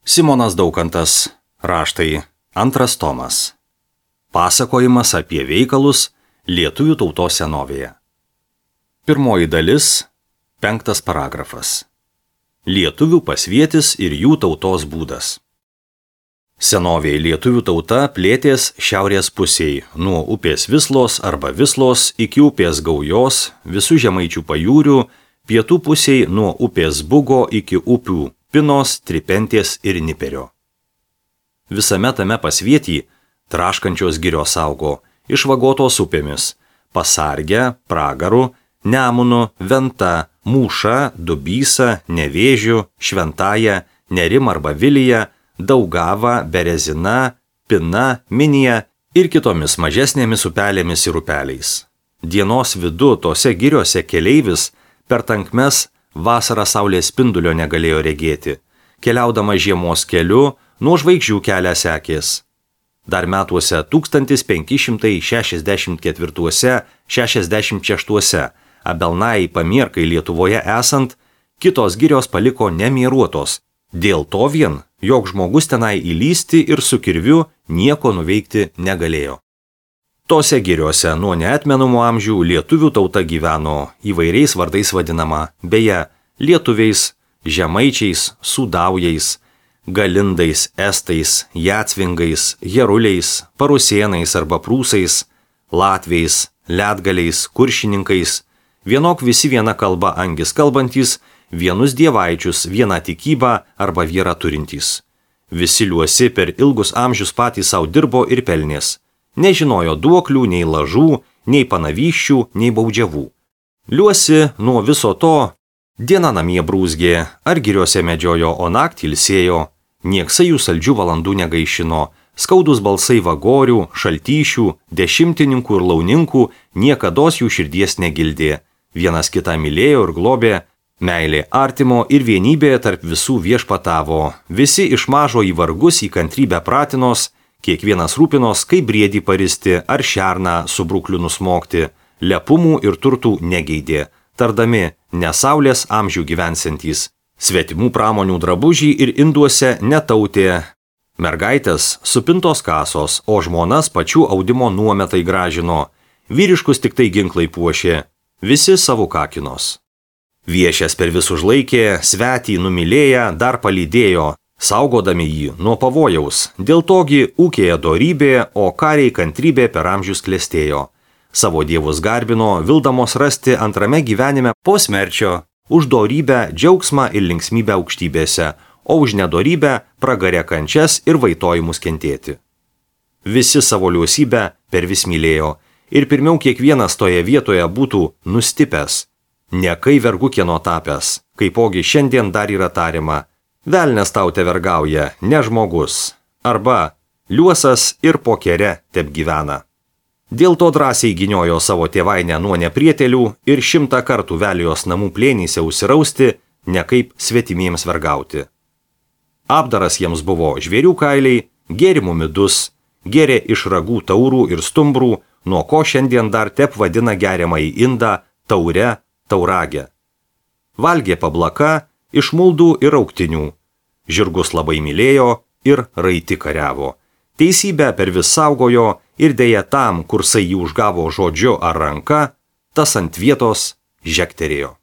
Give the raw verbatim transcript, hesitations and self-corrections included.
Simonas Daukantas, raštai, antras tomas. Pasakojimas apie veikalus lietuvių tautos senovėje. Pirmoji dalis, penktas paragrafas. Lietuvių pasvietis ir jų tautos būdas. Senovėje lietuvių tauta plėtės šiaurės pusėje, nuo upės Vislos arba Vislos iki upės Gaujos, visų žemaičių pajūrių, pietų pusėje nuo upės Bugo iki upių Pinos, Tripentės ir Niperio. Visame tame pasvietį traškančios girios augo, išvagotos upėmis – Pasarge, Pragaru, Nemunu, Venta, Mūša, Dubysa, Nevėžiu, Šventaja, Nerim arba Vilija, Daugava, Berezina, Pina, Minija ir kitomis mažesnėmis upelėmis ir upeliais. Dienos vidu tose giriose keleivis per tankmes vasarą saulės spindulio negalėjo regėti, keliaudama žiemos keliu nuo žvaigždžių kelią sekės. Dar metuose tūkstantis penki šimtai šešiasdešimt ketvirtuose - šešiasdešimt šeštuose Abelnai Pamierkai Lietuvoje esant, kitos girios paliko nemieruotos, dėl to vien, jog žmogus tenai įlysti ir su kirviu nieko nuveikti negalėjo. Tose giriose nuo neatmenamų amžių lietuvių tauta gyveno, įvairiais vardais vadinama, beje, lietuviais, žemaičiais, sudaujais, galindais, estais, jacvingais, jeruliais, parusėnais arba prūsais, latviais, ledgaliais, kuršininkais, vienok visi viena kalba angis kalbantys, vienus dievaičius, vieną tikybą arba vyrą turintys. Visi liuosi per ilgus amžius patys savo dirbo ir pelnės. Nežinojo duoklių, nei lažų, nei panavyščių, nei baudžiavų. Liuosi nuo viso to, diena namie brūzgė, ar giriuose medžiojo, o naktį ilsėjo, nieksai jų saldžių valandų negaišino, skaudus balsai vagorių, šaltyšių, dešimtininkų ir launinkų niekados jų širdies negildė, vienas kitą mylėjo ir globė, meilė artimo ir vienybė tarp visų viešpatavo, visi iš mažo į vargus į kantrybę pratinos, kiekvienas rūpinos, kaip briedį paristi ar šerną su brukliu nusmokti, lepumų ir turtų negeidė, tardami nesaulės amžių gyvensantys, svetimų pramonių drabužį ir induose netautė, mergaitės supintos kasos, o žmonas pačių audimo nuometai gražino, vyriškus tik tai ginklai puošė, visi savo kakinos. Viešės per visus laikė, svetį numylėję dar palydėjo, saugodami jį nuo pavojaus, dėl togi ūkėje dorybė, o kariai kantrybė per amžius klestėjo. Savo dievus garbino, vildamos rasti antrame gyvenime po smerčio, už dorybę džiaugsmą ir linksmybę aukštybėse, o už nedorybę pragarę kančias ir vaitojimus kentėti. Visi savo liausybę per vis mylėjo, ir pirmiau kiekvienas toje vietoje būtų nustipęs, ne kai vergu kieno tapęs, kaipogi šiandien dar yra tariama, velnes tau te vergauja, ne žmogus, arba liuosas ir po kere tep gyvena. Dėl to drąsiai gyniojo savo tėvainę nuo neprietelių ir šimtą kartų velijos namų plėnyse užsirausti, ne kaip svetimiems vergauti. Apdaras jiems buvo žvėrių kailiai, gėrimų midus, gėrė iš ragų taurų ir stumbrų, nuo ko šiandien dar tep vadina geriamą į indą taure, tauragę. Valgė pablaka iš muldų ir auktinių. Žirgus labai mylėjo ir raiti kariavo. Teisybę per vis saugojo ir dėja tam, kursai jį užgavo žodžiu ar ranka, tas ant vietos žekterėjo.